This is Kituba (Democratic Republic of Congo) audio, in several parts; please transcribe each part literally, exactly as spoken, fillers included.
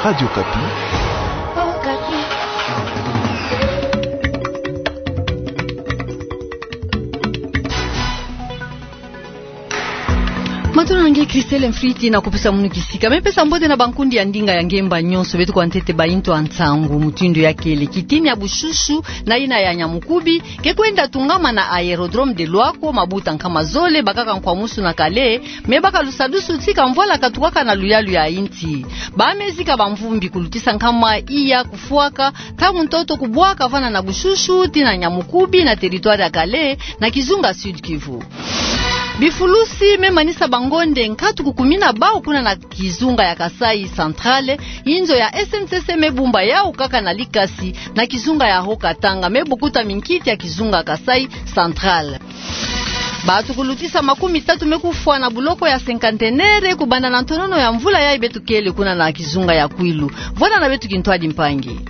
Radio Okapi. Matondo na nge Christelle Mfriti na kupesa munu kisika. Me pesa mbote na bankundi ya ndinga ya ngemba nyonso, beto kwa ntete ba intu ya nsangu mutindu ya kele. Kitini ya bushushu na ina ya Nyamukubi ke kwenda tungama na aérodrome de Loako, mabuta nkama zole bakaka nkwamusu na kale, me baka lusadusu tika mvwala katukaka na luyalu ya insi. Ba me zika bamvumbi kulutisa nkama iya kufwaka, ntangu ntoto kubwaka vana na bushushu tii na Nyamukubi na territoire ya kale na kizunga Sud-Kivu. Bifulusi me manisa bangonde nkatu kukumina bau kuna na kizunga ya Kasaï Central, inzo ya S N C C me bumba yau kaka na likasi na kizunga ya Haut-Katanga, me bukuta minkiti ya kizunga Kasaï Central. Bantu kulutisa makumi tatu me kufwa na buloko ya Cinquantenaire kubanda na ntonono ya mvula yayi beto kele kuna na kizunga ya Kwilu. Vwanda na beto kintwadi mpangi.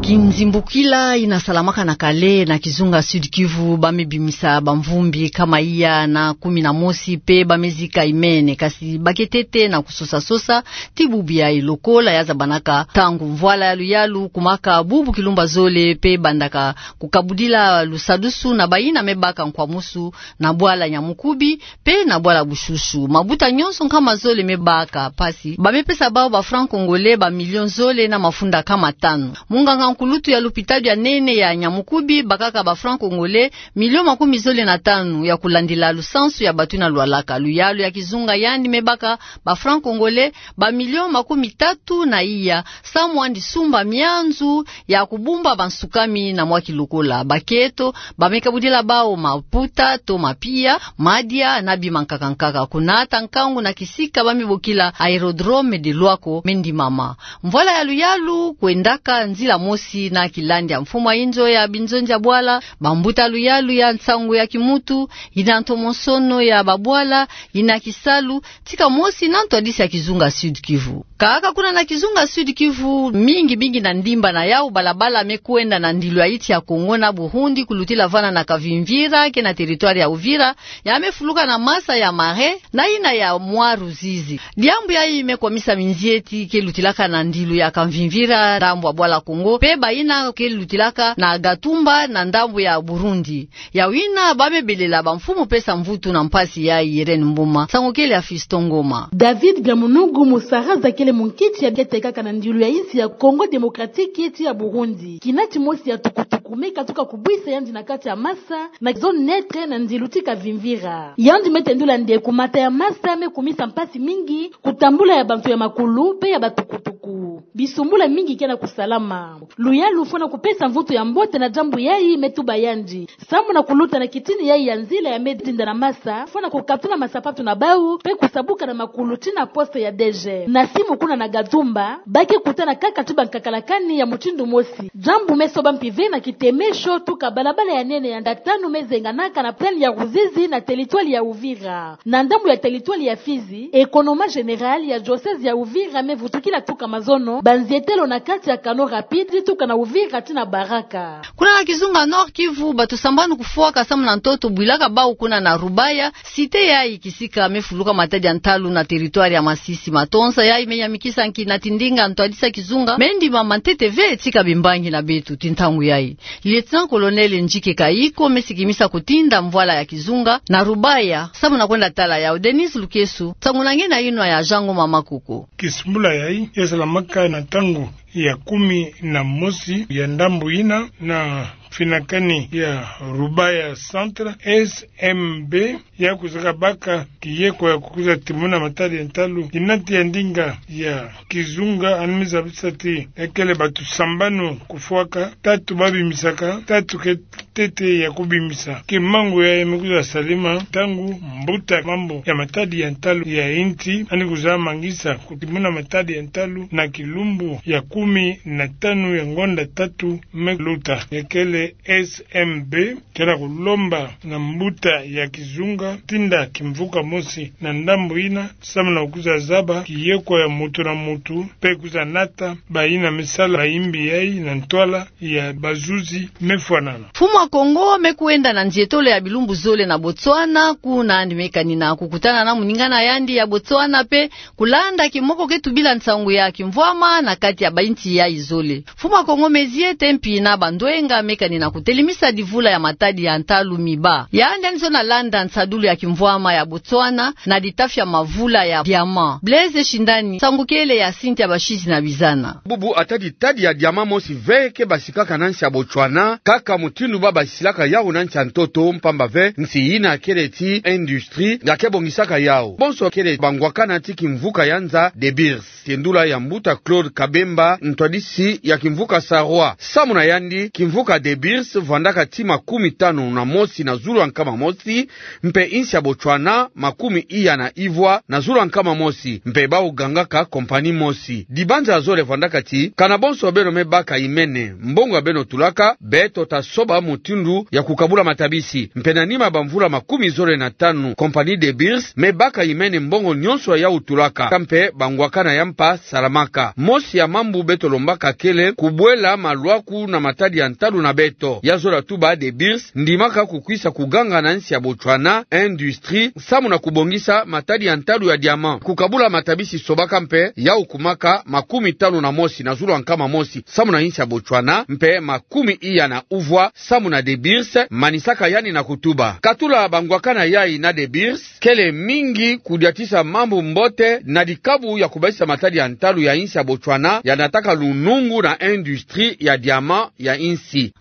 Kinzimbukila ina salamaka na kale na kizunga Sud-Kivu, ba me bimisa bamvumbi nkama iya na kumi na mosi pe ba me zika imene, kasi ba ke ntete na kusosa-sosa tii bubu yayi lokola ya zabanaka ntangu mvwala ya luyalu kumaka bubu kilumba zole pe bandaka kukabudila lusadusu na bayina me baka nkwamusu na bwala Nyamukubi pe na bwala bushushu. Mabuta nyonso nkama zole me baka mpasi, ba me pesa bau ba francs congolais ba millions zole na mafunda nkama tanu. Munganga nkulutu ya lupitalu ya nene ya Nyamukubi bakaka ba francs congolais millions makumi zole na tanu ya kulandila lusansu ya bantu ina lwalaka. Luyalu ya kizunga yandi me baka ba francs congolais ba millions makumi tatu na iya, samu yandi sumba mianzu ya kubumba bansukami na mwa kilokola. Bakento ba me kabudila bau maputa to mapia, madia na bima nkaka nkaka. Kunata nkangu na kisika ba me bokila aérodrome de Loako me ndimama. Mvwala ya luyalu kwendaka nzila mosi na kilandi ya mfumu ya inzo ya binzonzi ya bwala, bambuta luyalu ya nsangu ya kimuntu, ina ntomosono ya babwala, ina kisalu, tika mosi na ntwadisi ya kizunga Sud-Kivu. Kaka kuna na kizunga Sud-Kivu, mingi mingi na ndimba na yau balabala me kwenda na ndilu ya insi ya Kongo na Burundi, kulutila vana na Kavimvira ke na territoire ya Uvira, ya me fuluka na masa ya Marais na ina ya mwa Ruzizi. Diambu yayi me kwamisa minzieti ke lutilaka na ndilu ya Kavimvira ndambu ya bwala Kongo, pe bayina ke lutilaka na Gatumba na ndambu ya Burundi. Yau ina ba me belela bamfumu pesa mvutu na mpasi yayi. Irène Mboma, nsangu kele ya Fiston Ngoma. David Biamunungu Musaraza kele munkiti ya bietekaka na ndilu ya insi ya Congo Démocratique tii ya Burundi. Kinati mosi ya tukutuku me katuka kubwisa yandi na kati ya masa na zone neutre na ndilu ti Kavimvira. Yandi me tendula nde kumata ya masa me kumisa mpasi mingi kutambula ya bantu ya makulu pe ya batukutuku. Bisumbula mingi ke na kusalama. Luyalu fwana kupesa mvutu ya mbote na diambu yayi, me tuba yandi, samu na kuluta na kitini yayi ya nzila ya me dinda na masa, fwana kukatula masapatu na bau pe kusabuka na makulu tii na poste ya D G. Na simu kuna na Gatumba, ba ke kutana kaka tii bankakalakani ya mutindu mosi. Diambu me soba mpive na kitemesho tuka balabala ya nene ya nda tanu me zenganaka na plaine ya Ruzizi na territoire ya Uvira. Na ndambu ya territoire ya Fizi, economat général ya diocèse ya Uvira me vutukila tuka mazono, banzietelo na kati ya canaux rapides tuka na Uvira tii na Baraka. Kuna na kizunga Nord-Kivu, bantu sambanu kufwaka samu na ntoto bwilaka bau kuna na Rubaya, cité yayi kisika me fuluka matadi ya ntalu na territoire ya Masisi. Matonza yayi me yamikisa nki na tindinga ntwadisi ya kizunga me ndimama ntete ve tika bimbangi na beto tii ntangu yayi. Lieutenant-colonel Njike Kayiko me sikimisa kutinda mvwala ya kizunga na Rubaya, samu na kwenda tala yau. Denise Lukeso, nsangu na nge na inwa ya Jean Ngoma Makoko. Kisumbula yayi ya salamaka na ntangu ya kumi na mosi ya ndambu ina na finakani ya Rubaya Centre, S M B, ya kwiza kabaka kiyeko ya kukwiza timuna matadi ya ntalu. Kinati ya ndinga ya kizunga yandi me zabisa ti ya kele bantu sambanu kufwaka, tatu ba bimisaka, tatu ke ntete ya kubimisa. Kimangu yayi me kwiza salama ntangu mbuta mambu ya matadi ya ntalu ya insi yandi kwiza mangisa kutimuna matadi ya ntalu na kilumbu ya kumi na tanu ya ngonda tatu me luta. Ya kele S M B ke na kulomba na mbuta ya kizunga tinda kimvuka mosi na ndambu ina, samu na kwiza zaba kiyekwa ya mutu na mutu, mpe kwiza nata bayina me sala bayimbi yayi na ntwala ya bazuzi mefwanana. Mfumu a Kongo me kwenda na nzietolo ya bilumbu zole na Botswana, kuna yandi me kanina kukutana na moningana yandi ya Botswana mpe kulanda kimoko ke tubila nsangu ya kimvwama na kati ya bainsi yayi zole. Mfumu a Kongo me ziete mpi na bandwenga me kanina kutelemisa divula ya matadi ya ntalu miba. Yandi yandi zo na landa nsadulu ya kimvwama ya Botswana na ditafi ya mavula ya diamant. Blaise Shindani, nsangu kele ya sinti ya basisi na bizana. Bubu ata ditadi ya diamant mosi ve ke basikaka na nsi ya Botswana, kaka mutindu ba basilaka yawu na nsi ya ntoto, mpamba ve nsi yina kele ti industrie ya ke bongisaka yawu. Bonso kele bangwakana ti kimvuka ya nza De Beers. Tiendula ya mbuta Claude Kabemba, ntwadisi ya kimvuka Sarwa. Samu na yandi, kimvuka De Beers vwandaka ti makumi tanu na mosi na zulu ya nkama mosi, mpe insi ya Botswana makumi iya na ivwa na zulu ya nkama mosi, mpe bawu gangaka compagnie mosi. Dibanza zole vwandaka ti, kana bonso beno me baka imene, mbongo ya beno tulaka, beto ta soba mutindu ya kukabula matabisi. Mpe na nima bamvula makumi zole na tanu, compagnie De Beers me baka imene mbongo nyonso yawu tulaka, ka mpe bangwakana ya mpa salamaka. Mosi ya mambu beto lombaka kele kubwela malwaku na matadi ya ntalu na beto. Ya zola tuba De Beers ndimaka kukwisa kuganga na nsi ya Botswana industrie samu na kubongisa matadi ya ntalu ya diamant. Kukabula matabisi sobaka mpe, yawu kumaka makumi tanu na mosi na zulu ya nkama mosi samu na insi ya Botswana, mpe makumi iya na uvwa samu na De Beers, manisaka yandi na kutuba. Katula bangwakana yayi na De Beers kele mingi kudiatisa mambu mbote na dikabu ya kubasisa matadi ya ntalu ya insi ya Botswana ya nataka lunungu na industrie ya diamant ya insi.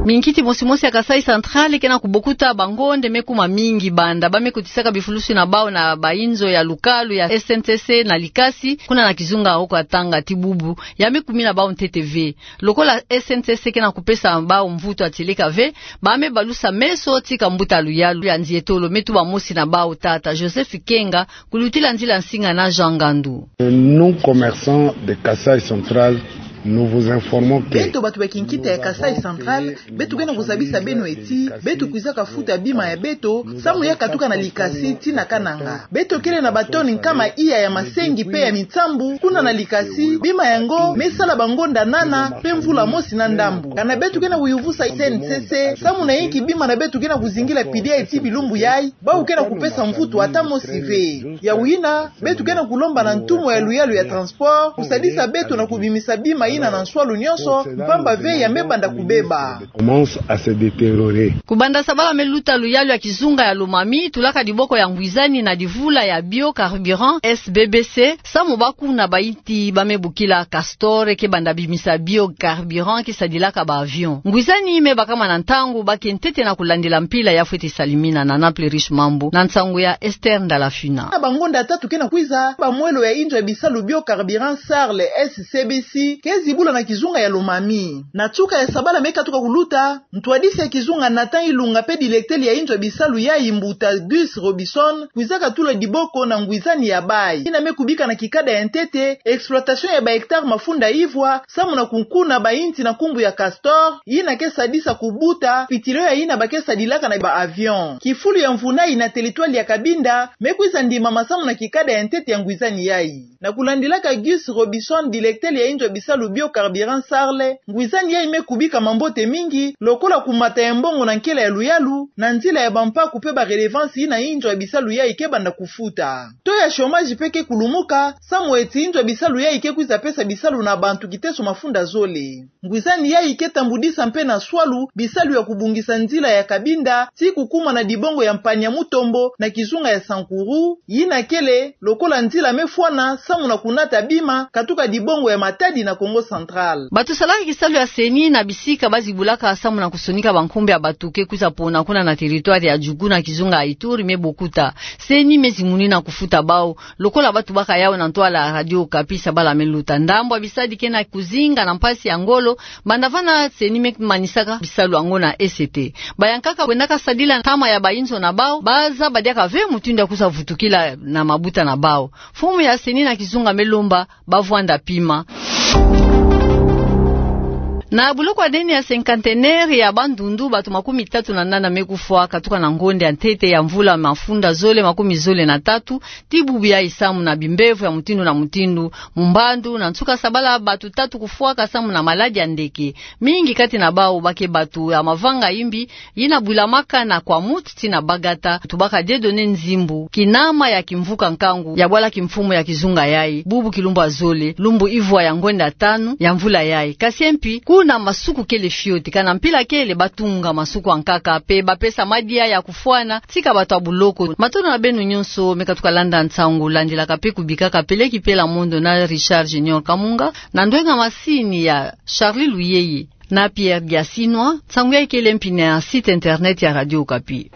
Minkiti mosi mosi ya Kasaï Central ke na kubokuta bangonde me kuma mingi banda ba me kotisaka bifulusi na bawu na bainzo ya lukalu ya S N C C na Likasi, kuna na kizunga oko ya Tanga. Ti bubu ya me kumina bawu ntete ve. Lokola S N C C ke na kupesa bawu mvutu ya tieleka ve, ba me balusa meso tika mbuta luyalu ya nzietolo me tuba mosi na bawu, tata Joseph Kenga, kulutila nzila nsinga na Jean Ngandu. Nous, commerçants de Kasaï Central, nous vous informons que beto batu ba kinkita ya Kasaï Central, beto ke na kuzabisa beno eti beto kwizaka futa bima ya beto samu ya katuka na Likasi tii na Kananga. Beto kele na batoni nkama iya ya masengi mpe ya minsambu kuna na Likasi, bima yango me sala bangonda nana mpe mvula mosi na ndambu. Kana beto ke na kuyuvusa S N C C samu na inki bima na beto ke na kuzingila pidi ya eti bilumbu yayi, bawu ke na kupesa mvutu ata mosi ve. Yawu yina, beto ke na kulomba na ntumwa ya luyalu ya transport kusadisa beto na kubimisa bima yina na nswalu nyonso, mpamba ve ya me banda kubeba. Commence à se détériorer. Kubanda sabala me luta, luyalu ya kizunga ya Lomami tulaka diboko ya ngwizani na divula ya biocarburant, S B B C, samu baku na bainti ba me bokila Castor ke banda bimisa biocarburant ke sadilaka ba avion. Ngwizani me bakama na ntangu bake ntete na kulandila mpila ya fweti salimina na Naples Riche Mambu, na nsangu ya Esther Ndalafina. Na bangonda tatu ke na kwiza, bamwelo ya inzo ya bisalu biocarburant Sarl, S C B C, ke zibula na kizunga ya Lomami. Na nsuka ya sabala me katuka kuluta, ntwadisi ya kizunga Nathan Ilunga mpe directeur ya inzo ya bisalu yayi, mbuta Gus Robison, kwizaka tula diboko na ngwizani ya bayi yina me kubika na kikada ya ntete exploitation ya ba hectares mafunda ivwa samu na kunkuna bainti na nkumbu ya Castor, yina ke sadisa kubuta pitilo ya yina ba ke sadilaka na ba avion. Kifulu ya mvunai na territoire ya Cabinda me kwiza ndimama samu na kikada ya ntete ya ngwizani yayi. Na kulandilaka Gus Robison, directeur ya inzo ya bisalu biocarburant Sarl, ngwizani yayi me kubika mambote mingi, lokola kumata ya mbongo na nkela ya luyalu na nzila ya bampaku mpe ba redevance yina inzo ya bisalu yayi ke banda kufuta. Taux ya chômage mpe ke kulumuka samu eti inzo ya bisalu yayi ke kwiza pesa bisalu na bantu kiteso mafunda zole. Ngwizani yayi ke tambudisa mpe na nswalu bisalu ya kubongisa nzila ya Cabinda tii kukuma na dibongo ya Mpanya Mutombo na kizunga ya Sankuru, yina kele lokola nzila me fwana samu na kunata bima katuka dibongo ya Matadi na Kongo Central. Bato salaka kisalu ya CENI na bisika ba zibulaka samu na kusonika bankumbu ya bato ke kwiza pona kuna na territoire ya Djugu na kizunga ya Ituri me bokuta. CENI me zimunina kufuta bawu, lokola ba tubaka yawu na ntwala Radio Okapi sabala me luta. Ndambu ya bisadi ke na kuzinga na mpasi ya ngolo, banda vana CENI me manisaka bisalu yango na E C T. Bayankaka kwendaka sadila ntama ya bainzo na bawu, ba zaba diaka ve mutindu ya kwiza vutukila na mabuta na bawu. Mfumu ya CENI na kizunga me lomba ba vwanda pima. Na buloko ya nene ya cinquantenaire ya Bandundu, bato makumi tatu na nana me kufwa katuka na ngonde ya ntete ya mvula mafunda zole makumi zole na tatu, ti bubu yayi samu na bimbevo ya mutindu na mutindu mu mbandu, na nsuka sabala bato tatu kufwaka samu na maladi ya ndeke. Mingi kati na bawu bake bato ya mavanga imbi, yina bwilamaka na Kwamouth ti na Bagata, tubaka Dieudonné Nzimbu, kinama ya kimvuka nkangu ya bwala kimfumu ya kizunga yayi, bubu kilumbu ya zole, lumbu ivwa ya ngonde ya tanu ya mvula yayi. Kasi mpi, kuna masuku kele fioti, kana mpila kele batunga masuku ya nkaka, pe bapesa madia ya kufwana, tika bato ya buloko. Matondo na beno nyonso me katuka landa nsangu, landilaka pe kubikaka Peleki Pela Mondo na Richard Junior Kamunga, na ndwenga masini ya Charlie Luyeye na Pierre Biasinwa. Nsangu yayi kele mpi na site internet ya Radio Okapi.